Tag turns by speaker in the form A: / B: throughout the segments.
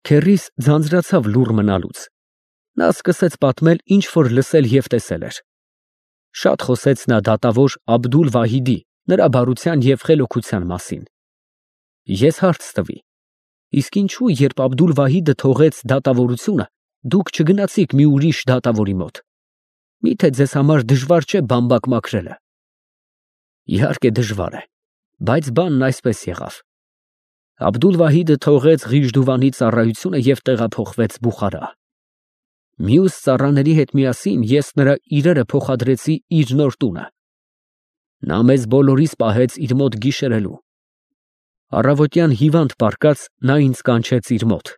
A: Քեռիս ձանձրացավ լուռ մնալուց։ Նա սկսեց պատմել, ինչ որ լսել և տեսել էր։ Շատ խոսեց նա դատավոր Աբդուլ֊Վահիդի, նրա բարության և խելոքության մասին։ Ես հարց տվի. իսկ ինչո՞ւ, երբ Աբդուլ֊Վահիդը թողեց դատավորությունը, դուք չգնացիք մի ուրիշ դատավորի մոտ։ Միթե ձեզ համար դժվար չէ բամբակ մաքրելը։ Իհարկե դժվար է, բայց բանն այսպես եղավ. Աբդուլ֊Վահիդը թողեց Ղիժդուվանի ծառայությունը և տեղափոխվեց Բուխարա։ Մյուս ծառաների հետ միասին ես նրա իրերը փոխադրեցի իր նոր տունը։ Նա մեզ բոլորիս պահեց իր մոտ գիշերելու։ Առավոտյան հիվանդ պառկած նա ինձ կանչեց իր մոտ։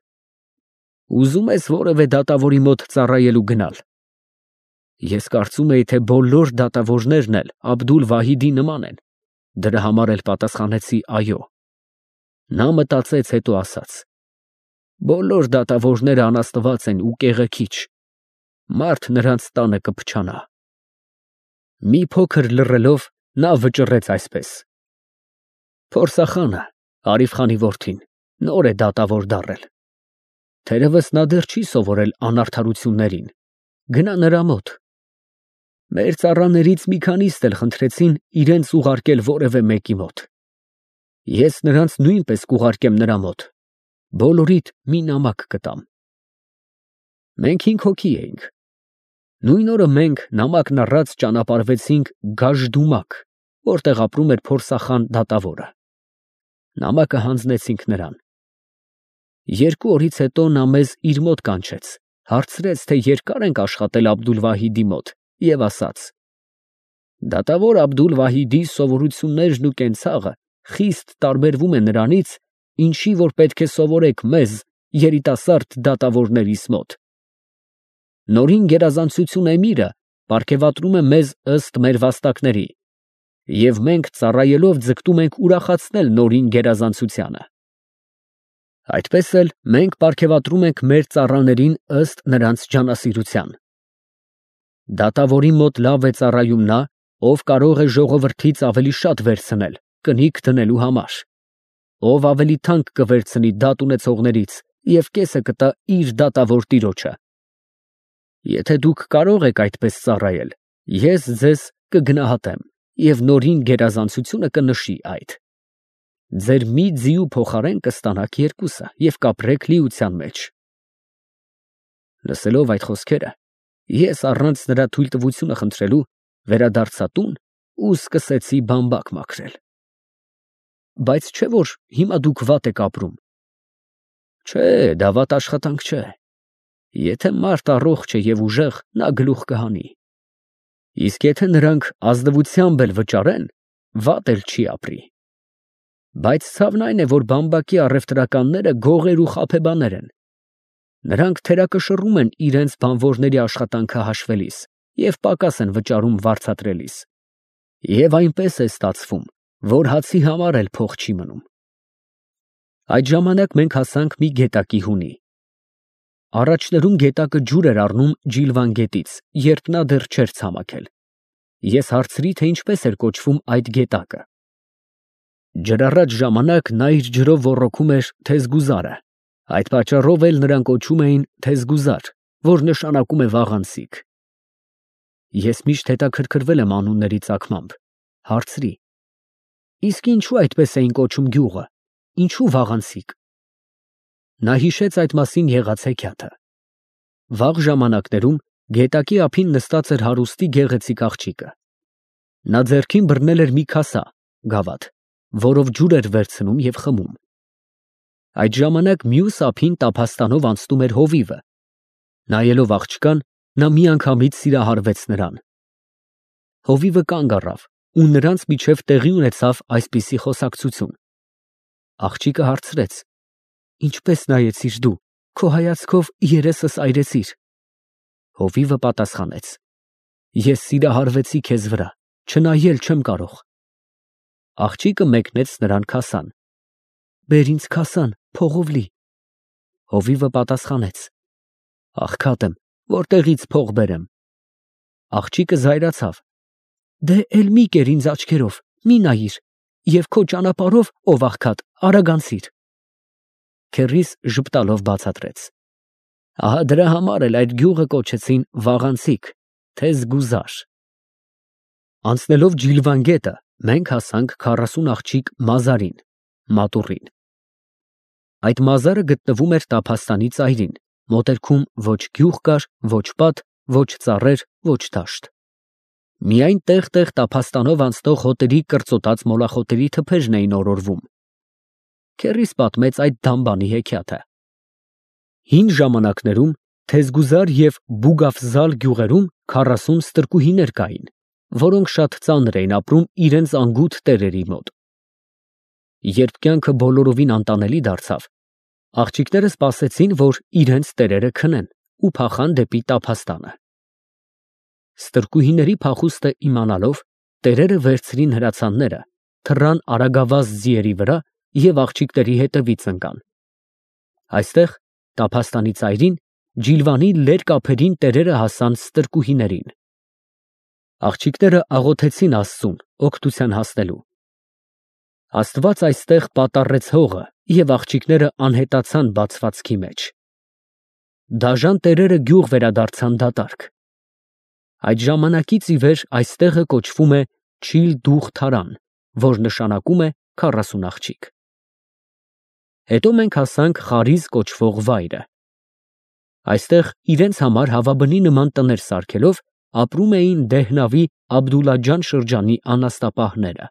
A: Ուզում ես որևէ դատավորի մոտ ծառայելու գնալ։ Ես կարծում էի, թե բոլոր դատավորներն էլ Աբդուլ֊Վահիդի նման են, դրա համար էլ պատասխանեցի այո։ Նա մտածեց, հետո ասաց. բոլոր դատավորները անաստված են ու կեղեքիչ, մարդ նրանց տանը կփչանա։ Մի փոքր լռելով, նա վճռեց այսպես. Փորսախանը, Արիֆ խանի որդին, նոր է դատավոր դառել։ Թերևս նա դեռ չի սովորել անարդարություններին, գնա նրա մոտ։ Մեր ծառաներից մի քանիստ էլ խնդրեցին իրենց ուղարկել որևէ մեկի մոտ։ Ես նրանց նույնպես կուղարկեմ նրա մոտ, բոլորիդ մի նամակ կտամ։ Մենք 5 հոգի էինք։ Նույն օրը մենք նամակն առած ճանապարհվեցինք Գաժդումակ, որտեղ ապրում էր փորսախան դատավորը։ Նամակը հանձնեցինք նրան։ 2 օրից հետո նա մեզ իր մոտ կանչեց, հարցրեց, թե երկար ենք աշխատել Աբդուլ-Վահիդի մոտ և ասաց. դատավոր Աբդուլ-Վահիդի սովորություններն ու կենցաղը խիստ տարբերվում է նրանից, ինչի որ պետք է սովորեք մեզ, երիտասարդ դատավորներիս մոտ։ Նորին գերազանցություն էմիրը պարգևատրում է մեզ ըստ մեր վաստակների, և մենք ծառայելով ձգտում ենք ուրախացնել նորին գերազանցությանը։ Այդպես էլ մենք պարգևատրում ենք մեր ծառաներին ըստ նրանց ջանասիրության։ Դատավորի մոտ լավ է ծառայում նա, ով կարող է ժողովրդից ավելի շատ վերցնել կնիկ դնելու համար, ով ավելի թանկ կվերցնի դատ ունեցողներից և կեսը կտա իր դատավոր տիրոջը։ Եթե դուք կարող եք այդպես ծառայել, ես ձեզ կգնահատեմ և նորին գերազանցությունը կնշի այդ։ Ձեր մի ձիու փոխարեն կստանաք 2 և կապրեք լիության մեջ։ Լսելով այդ խոսքերը, ես առանց նրա թույլտվությունը խնդրելու վերադարձա տուն ու սկսեցի բամբակ մաքրել։ Բայց չէ՞ որ հիմա դուք վատ եք ապրում։ Չէ, դա վատ աշխատանք չէ։ Եթե մարդ առողջ է և ուժեղ, նա գլուխ կհանի։ Իսկ եթե նրանք ազնվությամբ էլ վճարեն, վատ էլ չի ապրի։ Բայց ցավն այն է, որ բամբակի առևտրականները գողեր ու խաբեբաներ են։ Նրանք թերակշռում են իրենց բանվորների աշխատանքը հաշվելիս և պակաս են վճարում վարձատրելիս։ Եվ այնպես է ստացվում, որ հացի համար էլ փող չի մնում։ Այդ ժամանակ մենք հասանք մի գետակի հունի։ Առաջներում գետակը ջուր էր առնում Ջիլվան գետից, երբ նա դեռ չէր ցամաքել։ Ես հարցրի, թե ինչպես էր կոչվում այդ գետակը։ Ջրառատ ժամանակ նա իր ջրով ոռոգում էր Թեզգուզարը, այդ պատճառով էլ նրան կոչում էին Թեզգուզար, որ նշանակում է վաղանցիկ։ Ես միշտ հետաքրքրվել եմ անունների ծագմամբ, հարցրի. իսկ ինչու այդպես էին կոչում գյուղը, ինչու վաղանցիկ։ Նա հիշեց այդ մասին եղած հեքիաթը։ Վաղ ժամանակներում գետակի ափին նստած էր հարուստի գեղեցիկ աղջիկը։ Նա ձեռքին բռնել էր մի քասա (գավաթ), որով ջուր էր վերցնում և խմում։ Այդ ժամանակ մյուս ափին տափաստանով անցնում էր հովիվը։ Նայելով աղջկան, նա միանգամից սիրահարվեց նրան։ Հովիվը կանգ առավ, ու նրանց միջև տեղի ունեցավ այսպիսի խոսակցություն։ Աղջիկը հարցրեց. Ինչպես նայեցիր դու, քո հայացքով երեսս այրեցիր։ Հովիվը պատասխանեց. Ես սիրահարվեցի քեզ վրա, չնայել չեմ կարող։ Աղջիկը մեկնեց նրան քասան։ Բեր ինձ քասան, փողով լի։ Հովիվը պատասխանեց. Աղքատ եմ, որտեղից փող բերեմ։ Աղջիկը զայրացավ. Դե էլ մի կեր ինձ աչքերով, մի նայիր, և քո ճանապարհով, ով աղքատ, արագ անցիր։ քեռիս ժպտալով բացատրեց. Ահա դրա համար էլ այդ գյուղը կոչեցին Վաղանցիկ, թե զգուզար։ Անցնելով Ջիլվան գետը, մենք հասանք 40 աղջիկ մազարին, մատուռին։ Այդ մազարը գտնվում էր Տափաստանի ծայրին, մոտերքում ոչ գյուղ կար, ոչ պատ, ոչ ծառեր, ոչ դաշտ։ Միայն տեղ-տեղ Տափաստանով անցնող հոտերի կրծոտած մոլախոտերի թփերն էին օրորվում։ Քեռիս պատմեց այդ դամբանի հեքիաթը։ Հին ժամանակներում Թեզգուզար և Բուգաֆզալ գյուղերում 40 ստրկուհիներ կային, որոնք շատ ծանր էին ապրում իրենց անգութ տերերի մոտ։ Երբ կյանքը բոլորովին անտանելի դարձավ, աղջիկները սպասեցին, որ իրենց տերերը քնեն ու փախան դեպի Տափաստանը։ Ստրկուհիների փախուստը իմանալով, տերերը վերցրին հրացանները, թռան արագավազ ձիերի վրա և աղջիկների հետևից ընկան։ Այստեղ, Տափաստանի ծայրին, Ջիլվանի լերկ ափերին տերերը հասան ստրկուհիներին։ Աղջիկները աղոթեցին Աստծուն, օգնության հասնելու։ Աստված այստեղ պատառեց հողը, և աղջիկները անհետացան բացվածքի մեջ։ Դաժան տերերը գյուղ վերադարձան դատարկ։ Այդ ժամանակից ի վեր այստեղը կոչվում է Չիլ Դուղ Թարան, որ նշանակում է 40 աղջիկ։ Հետո մենք հասանք Խարիզ կոչվող վայրը։ Այստեղ իրենց համար հավաբնի նման տներ սարքելով ապրում էին Դեհնավի Աբդուլլաջան շրջանի անաստապահները։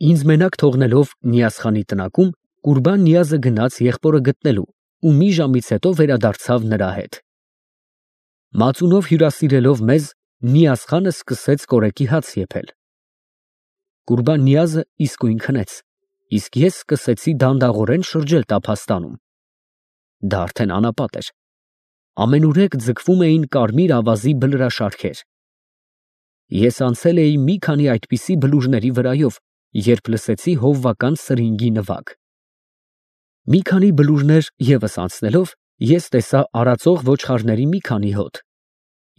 A: Ինձ մենակ թողնելով Նիազխանի տնակում, Կուրբան֊Նիազը գնաց եղբորը գտնելու ու մի ժամից հետո վերադարձավ նրա հետ։ Մածունով հյուրասիրելով մեզ, Նիազխանը սկսեց կորեկի հաց եփել։ Կուրբան֊Նիազը իսկույն քնեց, իսկ ես սկսեցի դանդաղորեն շրջել Տափաստանում։ Դա արդեն անապատ էր։ Ամենուրեք ձգվում էին կարմիր ավազի բլրաշարքեր։ Ես անցել էի մի քանի այդպիսի բլուրների վրայով, երբ լսեցի հովվական սրինգի նվագ։ Մի քանի բլուրներ ևս անցնելով, ես տեսա արածող ոչխարների մի քանի հոտ,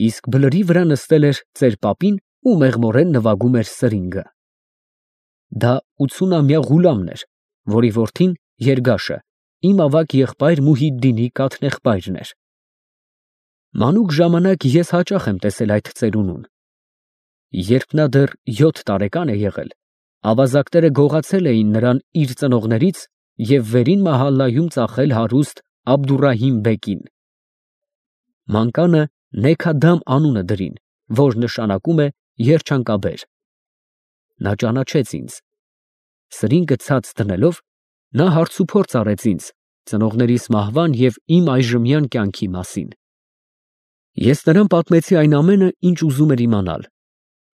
A: իսկ բլրի վրա նստել էր ծեր պապին ու մեղմորեն նվագում էր սրինգը։ Դա 80-ամյա Ղուլամն էր, որի որդին Երգաշը իմ ավագ եղբայր Մուհիդդինի կաթնեղբայրն էր։ Մանուկ ժամանակ ես հաճախ եմ տեսել այդ ծերունուն։ Երբ նա դեռ 7 տարեկան է եղել, ավազակները գողացել էին նրան իր ծնողներից և վերին մահալայում ծախել հարուստ Աբդուռահիմ բեկին։ Մանկանը Նեքադամ անունը դրին, որ նշանակում է երջանկաբեր։ Նա ճանաչեց ինձ։ Սրինգը ցած դնելով, նա հարցուփորձ արեց ինձ ծնողներիս մահվան և իմ այժմյան կյանքի մասին։ Ես նրան պատմեցի այն ամենը, ինչ ուզում էր իմանալ,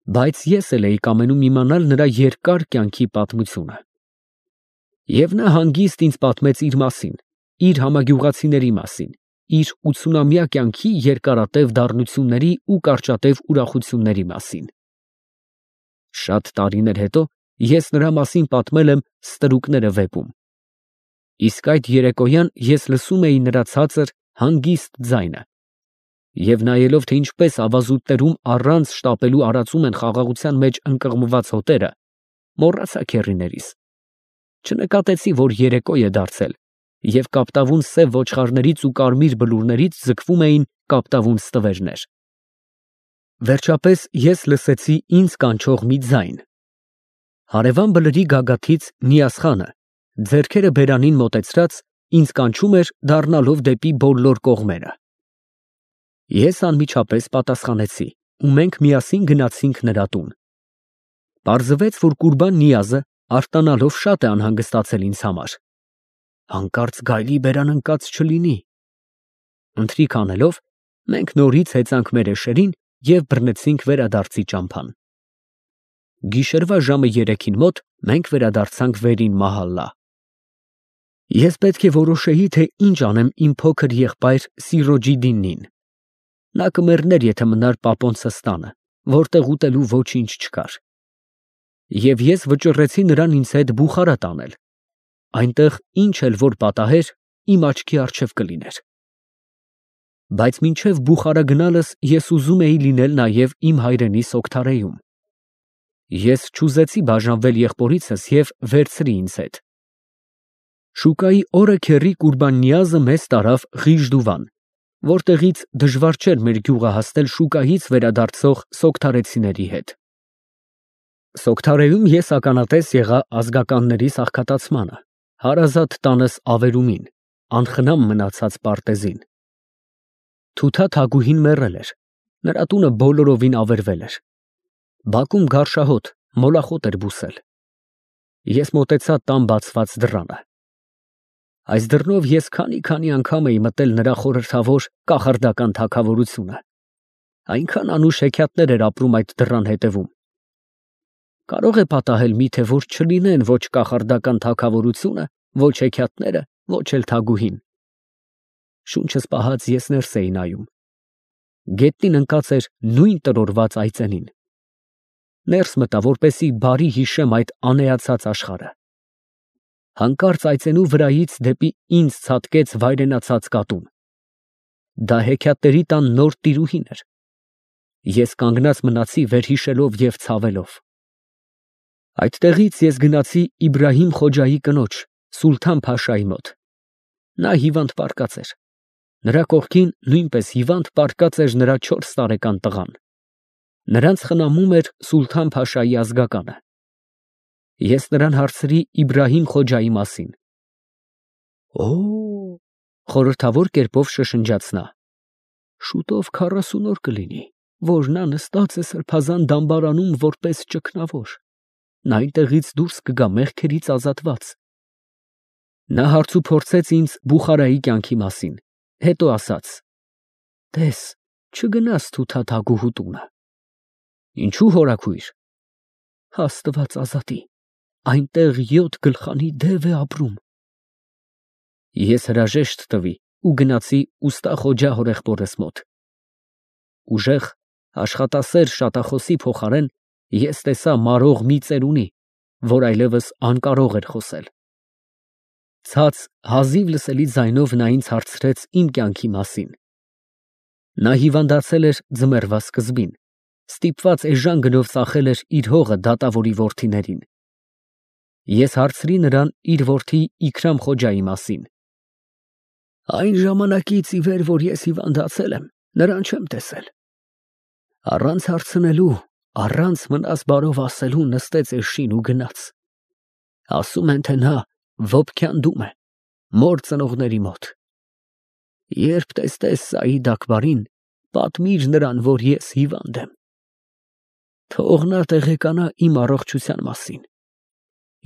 A: բայց ես էլ էի կամենում իմանալ նրա երկար կյանքի պատմությունը։ Եվ նա հանգիստ ինձ պատմեց իր մասին, իր համագյուղացիների մասին, իր 80-ամյա կյանքի երկարատև դառնությունների ու կարճատև ուրախությունների մասին։ Շատ տարիներ հետո ես նրա մասին պատմել եմ Ստրուկները վեպում։ Իսկ այդ երեկոյան ես լսում էի նրա ցածր, հանգիստ ձայնը, և նայելով, թե ինչպես ավազուտներում առանց շտապելու արածում են խաղաղության մեջ ընկղմված հոտերը, մոռացա քեռիներիս։ Չնկատեցի, որ երեկո է դարձել, և կապտավուն սև ոչխարներից ու կարմիր բլուրներից ձգվում էին կապտավուն ստվերներ։ Վերջապես ես լսեցի ինձ կանչող մի ձայն։ Հարևան բլրի գագաթից Նիազխանը, ձեռքերը բերանին մոտեցրած, ինձ կանչում էր, դառնալով դեպի բոլոր կողմերը։ Ես անմիջապես պատասխանեցի, ու մենք միասին գնացինք նրա տուն։ Պարզվեց, որ Կուրբան֊Նիազը արտանալով շատ է անհանգստացել ինձ համար։ Հանկարծ գայլի բերան ընկած չլինի։ Ընթրիք անելով, մենք նորից հեծանք մեր էշերին և բռնեցինք վերադարձի ճամփան։ Գիշերվա ժամը 3-ին մոտ մենք վերադարձանք վերին մահալա։ Ես պետք է որոշեի, թե ինչ անեմ իմ փոքր եղբայր Սիրոջիդդինին։ Նա կմեռներ, եթե մնար պապոնցս տանը, որտեղ ուտելու ոչինչ չկար։ Եվ ես վճռեցի նրան ինձ հետ Բուխարա տանել։ Այնտեղ ինչ էլ որ պատահեր, իմ աչքի առջև կլիներ։ Բայց մինչև Բուխարա գնալս ես ուզում էի լինել նաև իմ հայրենի Սոգթարեում։ Ես չուզեցի բաժանվել եղբորիցս և վերցրի ինձ հետ։ Շուկայի օրը քեռի Կուրբաննիազը մեզ տարավ Ղիժդուվան, որտեղից դժվար չէր մեր գյուղը հասնել շուկայից վերադարձող սոկթարեցիների հետ։ Սոկթարեում ես ականատես եղա ազգականների սաղքատացմանը, հարազատ տանս ավերումին, անխնամ մնացած պարտեզին։ Թութա Թագուհին մեռել էր, նրա տունը բոլորովին ավերվել էր։ Բակում գարշահոտ, մոլախոտ էր բուսել։ Ես մոտեցա տան բացված դռանը։ Այս դռնով ես քանի անգամ էի մտել նրա խորհրդավոր կախարդական թագավորությունը։ Այնքան անուշ հեքիաթներ էր ապրում այդ դռան հետևում։ Կարող է պատահել միթե որ չլինեն ոչ կախարդական թագավորությունը, ոչ հեքիաթները, ոչ էլ Թագուհին։ Շունչս պահած ես ներս էի նայում։ Գետնին ընկած էր նույն տրորված այծենին։ Ներս մտա, որպեսի բարի հիշեմ այդ անեացած աշխարհը։ Հանկարծ այծենու վրայից դեպի ինձ ցատկեց վայրենացած կատուն։ Դա հեքիաթների տան նոր տիրուհին էր։ Ես կանգնած մնացի վերհիշելով և ցավելով։ Այդտեղից ես գնացի Իբրահիմ Խոջայի կնոջ, Սուլթան Փաշայի մոտ։ Նա հիվանդ պառկած էր։ Նրա կողքին նույնպես հիվանդ պառկած էր նրա 4 տարեկան տղան։ Նրանց խնամում էր Սուլթան Փաշայի ազգականը։ Ես նրան հարցրի Իբրահիմ Խոջայի մասին։ Օ, խորհրդավոր կերպով շշնջաց նա։ Շուտով 40 օր կլինի, որ նա նստած է սրբազան դամբարանում որպես ճգնավոր։ Նա այնտեղից դուրս կգա մեղքերից ազատված։ Նա հարցուփորձեց ինձ Բուխարայի կյանքի մասին, հետո ասաց. Տես, չգնաս Թութա Թագուհու տունը։ Ինչու հորաքույր։ Աստված ազատի, այնտեղ 7 գլխանի դև է ապրում։ Ես հրաժեշտ տվի ու գնացի ուստա Խոջա հորեղբորս մոտ։ Ուժեղ, աշխատասեր շատախոսի փոխարեն ես տեսա մարող մի ծերունի, որ այլևս անկարող էր խոսել։ Ցած, հազիվ լսելի ձայնով նա ինձ հարցրեց իմ կյանքի մասին։ Նա հիվանդացել էր ձմեռվա սկզբին, ստիպված էժան գնով ծախել էր իր հողը դատավորի որդիներին։ Ես հարցրի նրան իր որդի Իքրամ Խոջայի մասին։ Այն ժամանակից ի վեր, որ ես հիվանդացել եմ, նրան չեմ տեսել։ Առանց հարցնելու, առանց մնաս բարով ասելու նստեց էշին ու գնաց։ Ասում են, թե նա Վոբքյանդում է, մոր ծնողների մոտ։ Երբ տեսնես Սաիդ Աքբարին, պատմիր նրան, որ ես հիվանդ եմ։ Թող նա տեղեկանա իմ առողջության մասին։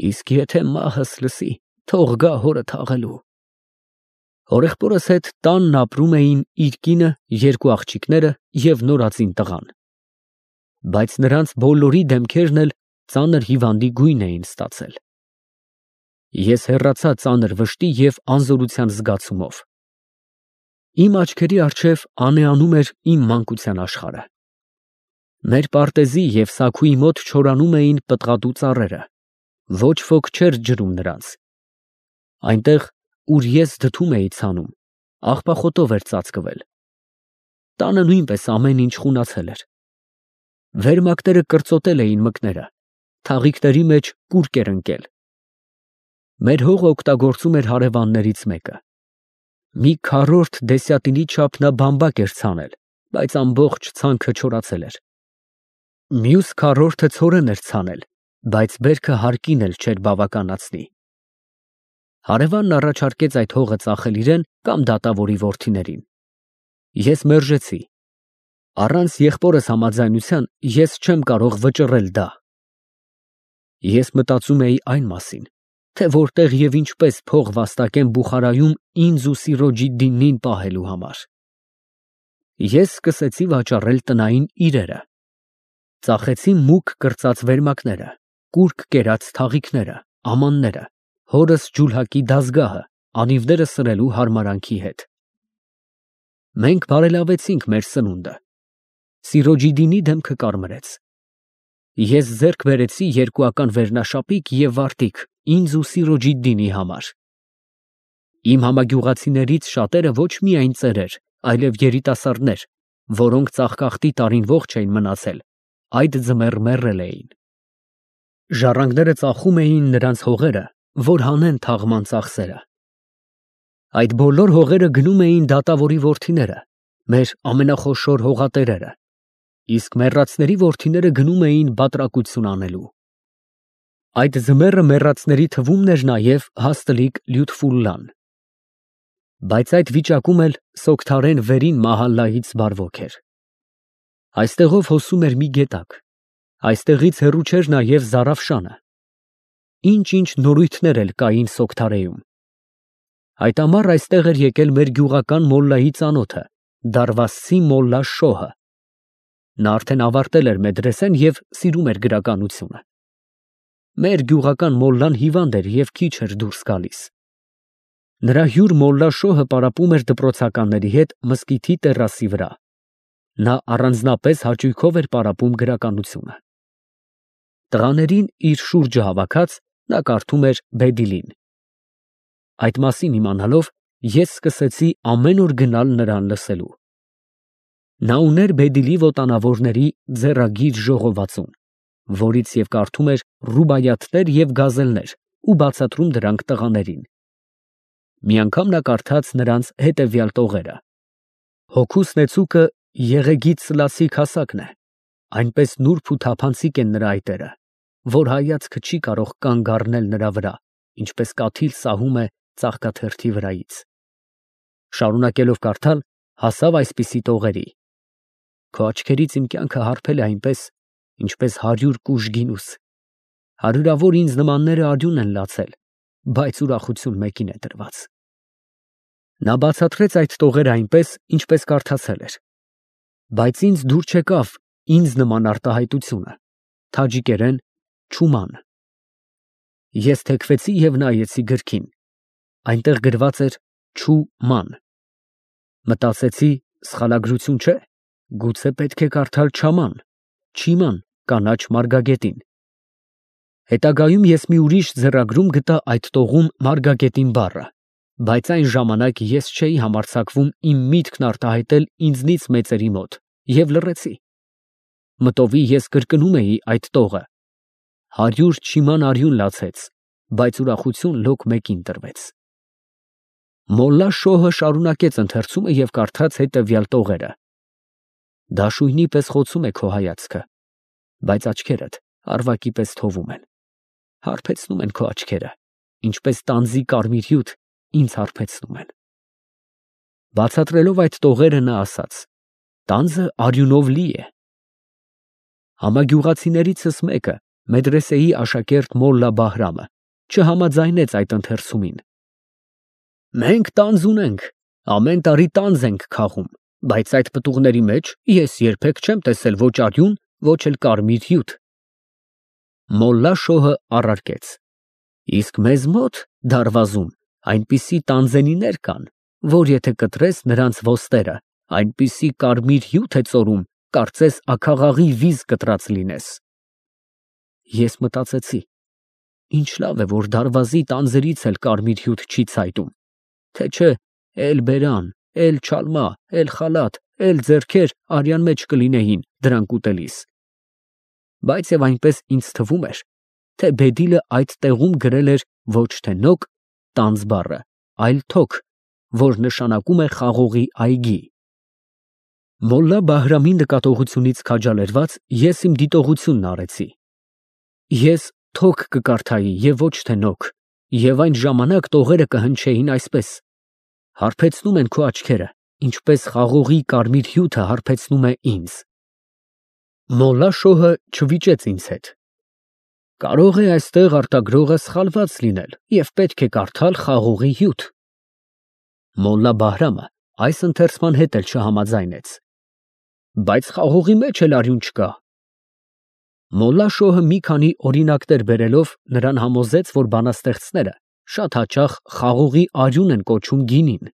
A: Իսկ եթե մահս լսի, թող գա հորը թաղելու։ Հորեղբորս հետ տանն ապրում էին իր կինը, 2 աղջիկները և նորածին տղան։ Բայց նրանց բոլորի դեմքերն էլ ծանր հիվանդի գույն էին ստացել։ Ես հեռացա ծանր վշտի և անզորության զգացումով։ Իմ աչքերի առջև անեանում էր իմ մանկության աշխարհը։ Մեր պարտեզի և սաքուի մոտ չորանում էին պտղատու ծառերը, ոչ ոք չէր ջրում նրանց։ Այնտեղ, ուր ես դդում էի ցանում, աղբախոտով էր ծածկվել։ Տանը նույնպես ամեն ինչ խունացել էր։ Վերմակները կրծոտել էին մկները, թաղիքների մեջ կուրկ էր ընկել։ Մեր հողը օգտագործում էր հարևաններից մեկը։ Մի քառորդ դեսյատինի չափ նա բամբակ էր ցանել, բայց ամբողջ ցանքը չորացել էր։ Մյուս քառորդը ցորեն էր ցանել, բայց բերքը հարկին էլ չէր բավականացնի։ Հարևանն առաջարկեց այդ հողը ծախել իրեն կամ դատավորի որդիներին։ Ես մերժեցի։ Առանց եղբորս համաձայնության ես չեմ կարող վճռել դա։ Ես մտածում էի այն մասին, թե որտեղ և ինչպես փող վաստակեմ Բուխարայում ինձ ու Սիրոջիդդինին պահելու համար։ Ես սկսեցի վաճառել տնային իրերը։ Ծախեցի մուգ կրծած վերմակները, կուրկ կերած թաղիքները, ամանները, հորս ջուլհակի դազգահը, անիվները սրելու հարմարանքի հետ։ Մենք բարելավեցինք մեր սնունդը։ Սիրոջիդդինի դեմքը կարմրեց։ Ես ձեռք բերեցի 2-ական վերնաշապիկ և վարտիք ինձ ու Սիրոջիդդինի համար։ Իմ համագյուղացիներից շատերը ոչ միայն ծերեր, այլև երիտասարդներ, որոնք ծաղկախտի տարին ողջ էին մնացել, այդ ձմեռ մեռել էին։ Ժառանգները ծախում էին նրանց հողերը որ հանեն թաղման ծախսերը։ Այդ բոլոր հողերը գնում էին դատավորի որդիները, մեր ամենախոշոր հողատերերը, իսկ մեռածների որդիները գնում էին բատրակություն անելու։ Այդ ձմեռը մեռածների թվում էր նաև հաստլիկ Լյուտֆուլլան։ Բայց այդ վիճակում էլ Սոգթարեն վերին Մահալլայից բարվոք էր։ Այստեղով հոսում էր մի գետակ, այստեղից հեռու չէր նաև Զարաֆշանը։ Ինչ-ինչ նորույթներ էլ կային Սոգթարեում։ Այդ ամառ այստեղ էր եկել մեր գյուղական մոլլայի ծանոթը, Դարվասցի մոլլա Շոհը։ Նա արդեն ավարտել էր մեդրեսեն և սիրում էր գրականությունը։ Մեր գյուղական մոլլան հիվանդ էր և քիչ էր դուրս գալիս։ Նրա հյուր մոլլա Շոհը պարապում էր դպրոցականների հետ մզկիթի տերասի վրա։ Նա առանձնապես հաճույքով էր պարապում գրականությունը։ Տղաներին իր շուրջը հավաքած, նա կարդում էր Բեդիլին։ Այդ մասին իմանալով, ես սկսեցի ամեն օր գնալ նրան լսելու։ Նա ուներ Բեդիլի ոտանավորների ձեռագիր ժողովածուն, որից և կարդում էր ռուբայաթներ և գազելներ ու բացատրում դրանք տղաներին։ Մի անգամ նա կարդաց նրանց հետևյալ տողերը. Հոգու ստեցուկը Եղեգից Սլասի քասակն է, այնպես նուրբ ու թափանցիկ են նրա այտերը, որ հայացքը չի կարող կանգ առնել նրա վրա, ինչպես կաթիլ սահում է ծաղկաթերթի վրայից։ Շարունակելով կարդալ, հասավ այսպիսի տողերի. Քո աչքերից իմ կյանքը հարբել է այնպես, ինչպես 100 կուժ գինուս։ Հարյուրավոր ինձ նմանները արյուն են լացել, բայց ուրախություն մեկին է տրված։ Նա բացատրեց այդ տողերը այնպես, ինչպես կարդացել էր։ Բայց ինձ դուր չեկավ ինձ նման արտահայտությունը, թաջիկերեն չուման։ Ես թեքվեցի և նայեցի գրքին, այնտեղ գրված էր չուման։ Մտածեցի, սխալագրություն չէ, գուցե պետք է կարդալ չաման, չիման կանաչ մարգագետին։ Հետագայում ես մի ուրիշ ձեռագրում գտա այդ տողում մարգագետին բառը, բայց այն ժամանակ ես չէի համարձակվում իմ միտքն արտահայտել ինձնից մեծերի մոտ և լռեցի։ Մտովի ես կրկնում էի այդ տողը. 100 չիման արյուն լացեց, բայց ուրախություն լոկ մեկին տրվեց։ Մոլլա Շոհը շարունակեց ընթերցումը և կարդաց հետևյալ տողերը. Դաշույնի պես խոցում է քո հայացքը, բայց աչքերդ արվակի պես թովում են։ Հարբեցնում են քո աչքերը, ինչպես տանձի կարմիր հյութ ինձ հարբեցնում են։ Բացատրելով այդ տողերը նա ասաց. տանձը արյունով լի է։ Համագյուղացիներիցս մեկը, մեդրեսեի աշակերտ մոլլա Բահրամը, չհամաձայնեց այդ ընթերցումին։ Մենք տանձ ունենք, ամեն տարի տանձ ենք քաղում, բայց այդ պտուղների մեջ ես երբեք չեմ տեսել ոչ արյուն, ոչ էլ կարմիր հյութ։ Մոլլա Շոհը առարկեց. իսկ մեզ մոտ դարվազում այնպիսի տանձենիներ կան, որ եթե կտրես նրանց ոստերը, այնպիսի կարմիր հյութ է ծորում, կարծես աքաղաղի վիզ կտրած լինես։ Ես մտածեցի. ինչ լավ է, որ դարվազի տանձերից էլ կարմիր հյութ չի ցայտում, թե չէ էլ֊բերան, էլ֊չալմա, էլ֊խալաթ, էլ-ձեռքեր արյան մեջ կլինեին դրանք ուտելիս։ Բայց և այնպես ինձ թվում էր, թե Բեդիլը այդ տեղում գրել էր ոչ թե նոկ տանձ բառը, այլ թոք, որ նշանակում է խաղողի այգի։ Մոլլա Բահրամի նկատողությունից քաջալերված ես իմ դիտողությունն արեցի։ Ես թոք կկարդայի և ոչ թե նոկ, և այն ժամանակ տողերը կհնչեին այսպես. հարբեցնում են քո աչքերը, ինչպես խաղողի կարմիր հյութը հարբեցնում է ինձ։ Մոլլա Շոհը չվիճեց ինձ հետ։ Կարող է այստեղ արտագրողը սխալված լինել և պետք է կարդալ խաղողի հյութ։ Մոլլա Բահրամը այս ընթերցման հետ էլ չհամաձայնեց։ Բայց խաղողի մեջ էլ արյուն չկա։ Մոլլա Շոհը մի քանի օրինակներ բերելով նրան համոզեց, որ բանաստեղծները շատ հաճախ խաղողի արյուն են կոչում գինին։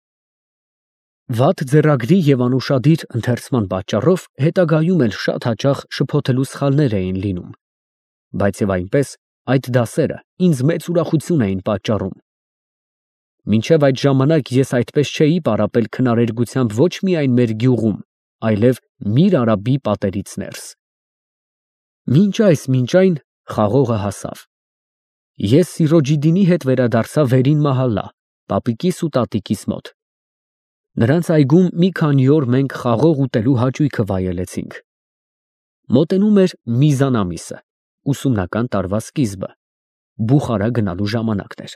A: Վատ ձեռագրի և անուշադիր ընթերցման պատճառով հետագայում էլ շատ հաճախ շփոթելու սխալներ էին լինում։ Բայց և այնպես այդ դասերը ինձ մեծ ուրախություն էին պատճառում։ Մինչև այդ ժամանակ ես այդպես չէի պարապել քնարերգությամբ ոչ միայն մեր գյուղում, այլև Միր Արաբի պատերից ներս։ Մինչ այն խաղողը հասավ։ Ես Սիրոջիդինի հետ վերադարձա վերին մահալա, պապիկիս ու տատիկիս մոտ։ Նրանց այգում մի քանի օր մենք խաղող ուտելու հաճույքը վայելեցինք։ Մոտենում էր Միզան ամիսը, ուսումնական տարվա սկիզբը, Բուխարա գնալու ժամանակն էր։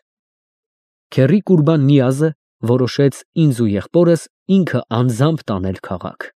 A: Քեռի Կուրբան Նիազը որոշեց ինձ ու եղբորս ինքը անձամբ տանել քաղաք։